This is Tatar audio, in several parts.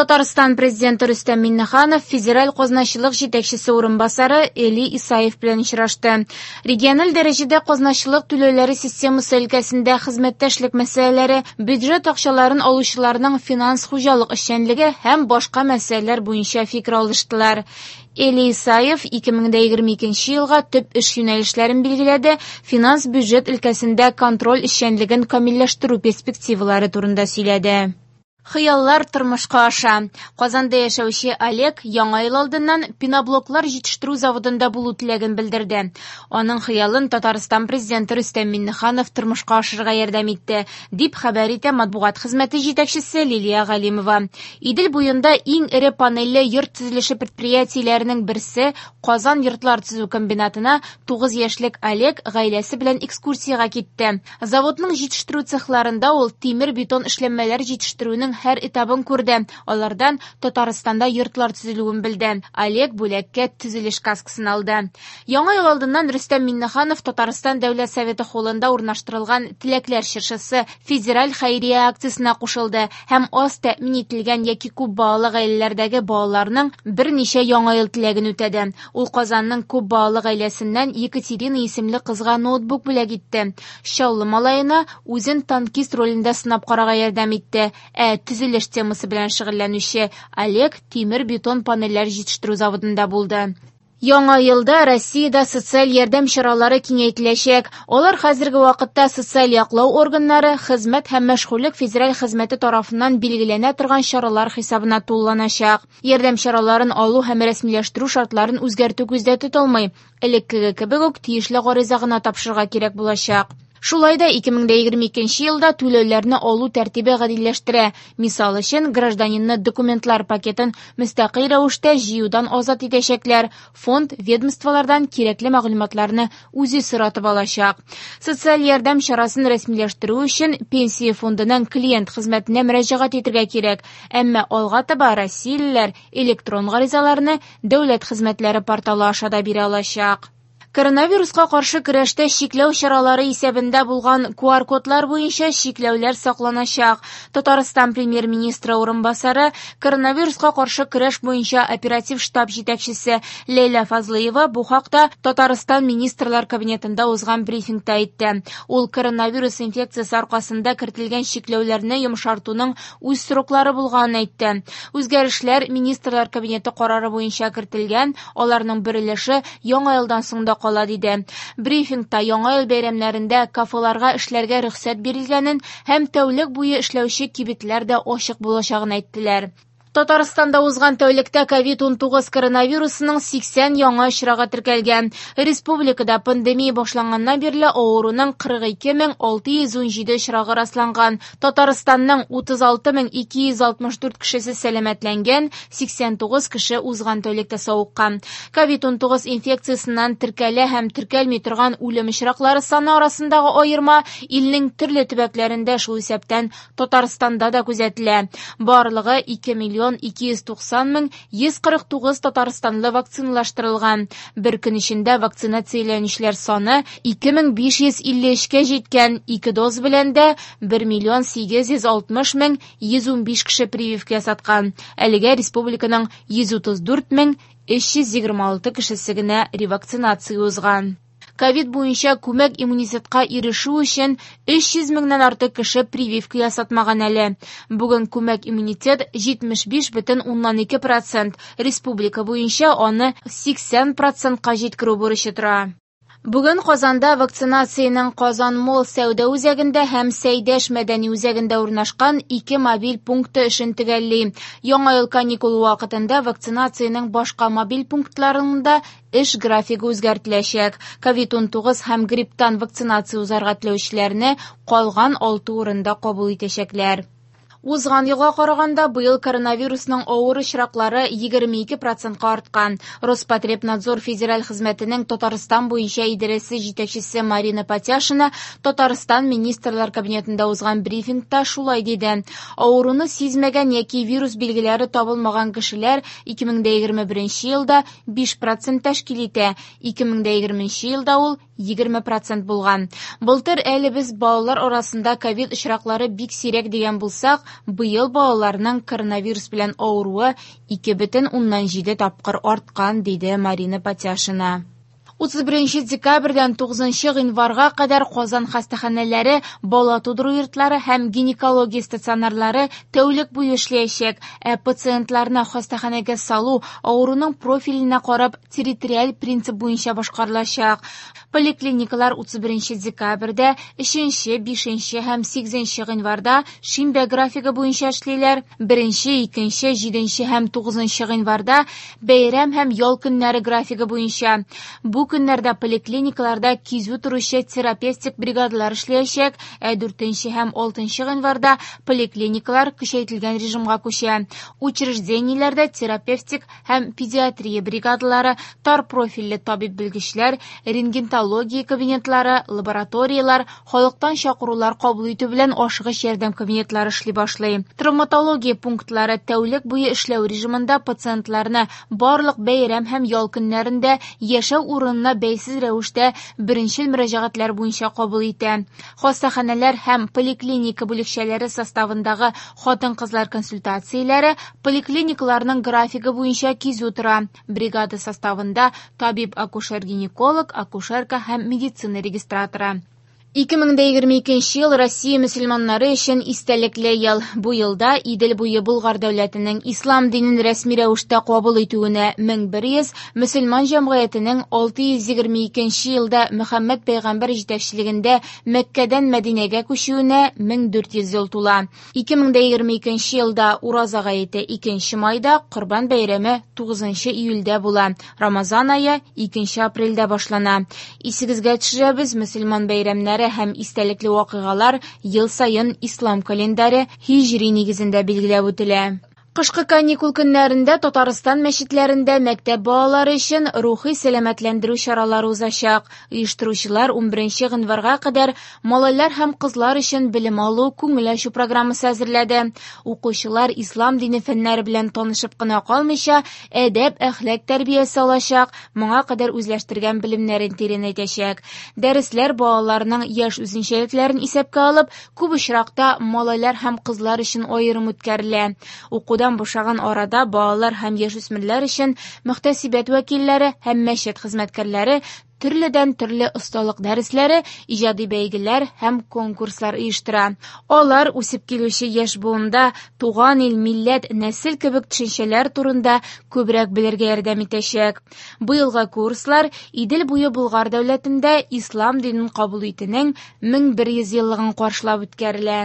Татарстан Президенты Рөстәм Миңнеханов федераль казначылык җитәкчесе урынбасары Эли Исаев белән очрашты. Региональ дәрәҗәдә казначылык түләүләре системасы өлкәсендә хезмәттәшлек мәсьәләләре, бюджет акчаларын алучыларның финанс-хуҗалык эшчәнлеге һәм башка мәсьәләләр буенча фикер алыштылар. Эли Исаев 2022 елга төп эш юнәлешләрен билгеләде, финанс-бюджет өлкәсендә контроль эшчәнлеген камилләштерү перспективалары турында сөйләде. Хыяллар тормышка аша. Казанда яшәүче Олег Яңа ел алдыннан пеноблоклар җитештерү заводында булу теләген белдерде. Аның хыялын Татарстан Президенты Рөстәм Миңнеханов тормышка ашырырга ярдәм итте, дип хәбәр итә матбугат хезмәте җитәкчесе Лилия Галимова. Идел буенда иң эре панельле йорт төзелеше предприятиеләренең берсе Казан йортлар төзү комбинатына 9 яшьлек Олег гаиләсе белән экскурсиягә китте. Заводның җитештерү цехларында ул тимер-бетон эшләнмәләр җитештерүнең һәр этабын күрде. Алардан Татарстанда йортлар төзелүен белде. Олег бүләккә төзелеш каскасын алды. Яңа ел алдыннан Рөстәм Миңнеханов Татарстан Дәүләт Советы холлында урнаштырылган Теләкләр чыршысы федераль хәйрия акциясенә кушылды һәм аз тәэмин ителгән яки күп балалы гаиләләрдәге балаларның берничә яңа ел теләген үтәде. Ул Казанның күп балалы гаиләсеннән Екатерина исемле кызга ноутбук бүләк итте. Чаллы малаена үзен танкист ролендә сынап карарга ярдәм итте. Ә төзелеш темасы белән шөгыльләнүче Олег тимер-бетон панельләр җитештерү заводында булды. Яңа елда Россиядә социаль ярдәм чаралары киңәйтеләчәк. Алар хәзерге вакытта социаль яклау органнары, хезмәт һәм мәшгульлек федераль хезмәте тарафыннан билгеләнә торган чаралар хисабына тулыланачак. Ярдәм чараларын алу һәм рәсмиләштерү шартларын үзгәртү күздә тотылмый. Элеккеге кебек үк тиешле гариза гына тапшырырга кирәк булачак. Шулай да 2022 елда түләүләрне алу тәртибе гадиләштерә. Мисал өчен, гражданинны документлар пакетын мөстәкыйль рәвештә җыюдан азат итәчәкләр. Фонд ведомстволардан кирәкле мәгълүматларны үзе соратып алачак. Социаль ярдәм чарасын рәсмиләштерү өчен пенсия фондының клиент хезмәтенә мөрәҗәгать итәргә кирәк. Әмма алга таба россиялеләр электрон гаризаларны дәүләт хезмәтләре порталы аша да бирә алачак. Коронавируска каршы көрәштә чикләү чаралары исәбендә булган QR-кодлар буенча чикләүләр сакланачак. Татарстан премьер-министры урынбасары, коронавируска каршы көрәш буенча оператив штаб җитәкчесе Ләйлә Фазлыева бу хакта Татарстан Министрлар Кабинетында узган брифингта әйтте. Ул коронавирус инфекциясе аркасында кертелгән чикләүләрне йомшартуның үз сроклары булганын әйтте. Үзгәрешләр Министрлар Кабинеты карары буенча кертелгән, аларның бер өлеше яңа елдан соң да кала диде. Брифингта яңа ел бәйрәмнәрендә кафеларга эшләргә рөхсәт бирелгәнен һәм тәүлек буе эшләүче кибетләр дә ачык булачагын әйттеләр. Татарстанда узган тәүлектә ковид-19 коронавирусының 80 яңа очрагы теркәлгән. Республикада пандемия башланганнан бирле авыруның 42617 очрагы расланган. Татарстанның 36264 кешесе сәламәтләнгән, 89 кеше узган тәүлектә савыккан. Ковид-19 инфекциясеннән теркәлә һәм теркәлми торган үлем очраклары саны арасындагы аерма илнең төрле төбәкләрендә, шул исәптән Татарстанда да күзәтелә. Барлыгы 2 290 149 татарстанлы вакциналаштырылган. Бер көн эчендә вакцинацияләнүчеләр саны 2553-кә җиткән. Ике доз белән дә 1 860 115 кеше прививка ясаткан. Әлегә республиканың 134 326 кешесе генә ревакцинация узган. Ковид буенча күмәк иммунитетка ирешү өчен 300 меңнән артык кеше прививка ясатмаган әле. Бүген күмәк иммунитет 75,2%, республика буенча аны 80%-ка җиткерү бурычы тора. Бүген Казанда вакцинациянең Казан Молл сәүдә үзәгендә һәм Сәйдәш мәдәни үзәгендә урнашкан ике мобиль пункты эшен төгәлли. Яңа ел каникулы вакытында вакцинациянең башка мобиль пунктларында эш графигы үзгәртеләчәк. Ковид-19 һәм грипптан вакцинация узарга теләүчеләрне калган 6 урында кабул итәчәкләр. Узган елга караганда быел коронавирусның авыр очраклары 22%-ка арткан. Роспотребнадзор федераль хезмәтенең Татарстан буенча идарәсе җитәкчесе Марина Патяшина Татарстан Министрлар Кабинетында узган брифингта шулай диде. Авыруны сизмәгән яки вирус билгеләре табылмаган кешеләр 2021 елда 5% тәшкил итә, 2020 елда ул 20% булган. Былтыр әле без балалар арасында ковид очраклары бик сирәк дигән булсак, быел балаларның коронавирус белән авыруы 2,7 тапкыр арткан, диде Марина Патяшина. 31 декабрьдән 9 гыйнварга кадәр Казан хастаханәләре, бала тудыру йортлары һәм гинекология стационарлары тәүлек буе эшләячәк, ә пациентларны хастаханәгә салу авыруның профиленә карап территориаль принцип буенча башкарылачак. Поликлиникалар 31 декабрьдә, 3, 5 һәм 8 гыйнварда шимбә графигы буенча эшлиләр, 1, 2, 7 һәм 9 гыйнварда бәйрәм һәм ял көннәре графигы буенча. Бу көннәрдә поликлиникаларда кизү торучы терапевтик бригадалар эшләячәк, ә 4 һәм 6 гыйнварда поликлиникалар көчәйтелгән режимга күчә. Учреждениеләрдә терапевтик һәм педиатрия бригадалары, тар профильле табиб-белгечләр, рентгенология кабинетлары, лабораторияләр, халыктан чакырулар кабул итү белән ашыгыч ярдәм кабинетлары эшли башлый. Травматология пунктлары тәүлек буе эшләү режимында пациентларны барлык бәйрәм һәм ял көннәрендә яшәү урынына бәйсез рәвештә беренчел мөрәҗәгатьләр буенча кабул итә. Хастаханәләр һәм поликлиника бүлекчәләре составындагы хатын-кызлар консультацияләре поликлиникаларның графигы буенча кизү тора. Бригада составында табиб-акушер-гинеколог, акушерка һәм медицина регистраторы. 2022 ел Россия мөселманнары өчен истәлекле ел. Бу елда Идел буе Болгар дәүләтенең ислам динен рәсми рәвештә кабул итүенә 1100, мөселман җәмгыятенең 622 елда Мөхәммәд пәйгамбәр җитәкчелегендә Мәккәдән Мәдинәгә күчүенә 1400 ел тула. 2022 елда Ураза гаете 2 майда, Корбан бәйрәме 9 июльдә була. Рамазан ае 2 апрельдә башлана. Исегезгә төшерәбез, мөселман бәйрәмнәре һәм истәлекле вакыйгалар ел саен ислам календаре һиҗри нигезендә билгеләп үтелә. Кышкы каникул көннәрендә Татарстан мәчетләрендә мәктәп балалары өчен рухи сәламәтләндерү чаралары узачак. Оештыручылар 11 гыйнварга кадәр малайлар һәм кызлар өчен белем алу, күңел ачу программасы әзерләде. Укучылар ислам дине фәннәре белән танышып кына калмыйча, әдәп, әхлак тәрбиясе алачак, моңа кадәр үзләштергән белемнәрен тирәнәйтәчәк. Дәресләр балаларның яшь үзенчәлекләрен исәпкә алып, күп очракта малайлар һәм кызлар өчен аерым үткәрелә. Укудан бушаган арада балалар һәм яшүсмерләр өчен мөхтәсибәт вәкилләре һәм мәчет хезмәткәрләре төрледән төрле осталык дәресләре, иҗади бәйгеләр һәм конкурслар оештыра. Алар үсеп килүче яшь буында туган ил, милләт, нәсел кебек төшенчәләр турында күбрәк белергә ярдәм итәчәк. Быелгы курслар Идел буе Болгар дәүләтендә ислам динен кабул итүнең 1100 еллыгын каршылап үткәрелә.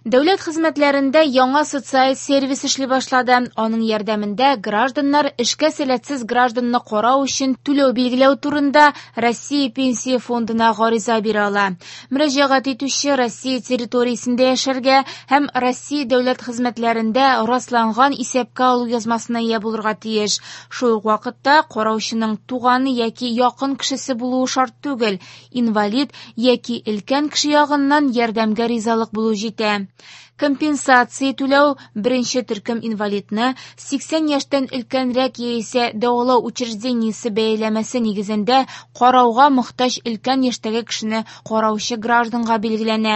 Дәүләт хезмәтләрендә яңа социаль сервис эшли башлады. Аның ярдәмендә гражданнар эшкә сәләтсез гражданны карау өчен түләү билгеләү турында Россия Пенсия фондына гариза бирә ала. Мөрәҗәгать итүче Россия территориясендә яшәргә һәм Россия дәүләт хезмәтләрендә расланган исәпкә алу язмасына ия булырга тиеш. Шул ук вакытта караучының туганы яки якын кешесе булуы шарт түгел. Инвалид яки өлкән кеше ягыннан ярдәмгә ризалык булу җитә. Компенсация түләү беренче төркем инвалидны 80 яшьтән өлкәнрәк яисә дәвалау учреждениесе бәяләмәсе нигезендә карауга мохтаҗ өлкән яшьтәге кешене караучы гражданга билгеләнә.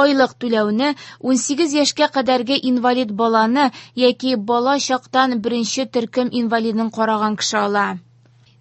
Айлык түләүне 18 яшькә кадәрге инвалид баланы яки бала чактан беренче төркем инвалидын караган кеше ала.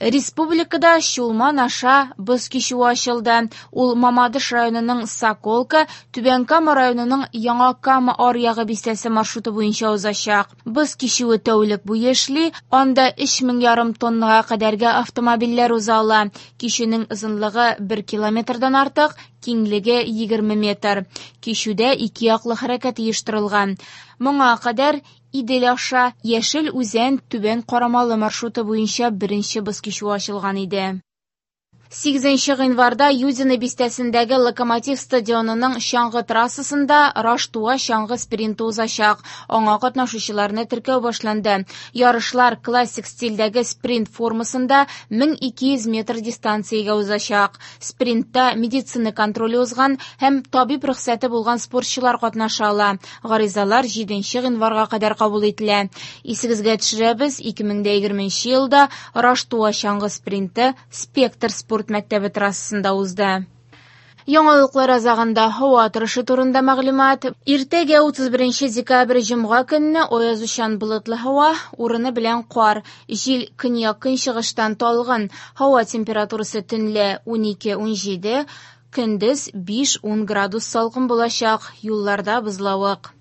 Республикада Чулман аша боз кичүе ачылды. Ул Мамадыш районының Соколка, Түбән Кама районының Яңа Кама аръягы бистәсе маршруты буенча узачак. Боз кичүе тәүлек буе эшли, анда 3500 тоннага кадәрге автомобильләр уза ала. Кичүнең озынлыгы 1 километрдан артык, киңлеге 20 метр. Кичүдә ике яклы хәрәкәт оештырылган. Моңа кадәр Идел аша Яшел Үзән Түбән Карамалы маршруты буенча беренче боз кичүе ачылган иде. 8 гыйнварда Юдино бистәсендәге Локомотив стадионының чаңгы трассасында Раштуа чаңгы спринты узачак. Аңа катнашучыларны теркәү башланды. Ярышлар классик стильдәге спринт формасында 1200 метр дистанциягә узачак. Спринтта медицина контроле узган һәм табиб рөхсәте булган спортчылар катнаша ала. Гаризалар 7 гыйнварга кадәр кабул ителә. Исегезгә төшерәбез, 2020 елда Раштуа чаңгы спринты Спектр спорт спорт мәктәбе трассасында узды. Яңалыклар азагында һава торышы турында мәгълүмат. Иртәгә 31 декабрь җомга көнне аязучан болытлы һава, урыны белән кар. Җил көньяк-көнчыгыштан талгын. Һава температурасы төнлә 12-17, көндез 5-10 градус салкын булачак. Юлларда бозлавык.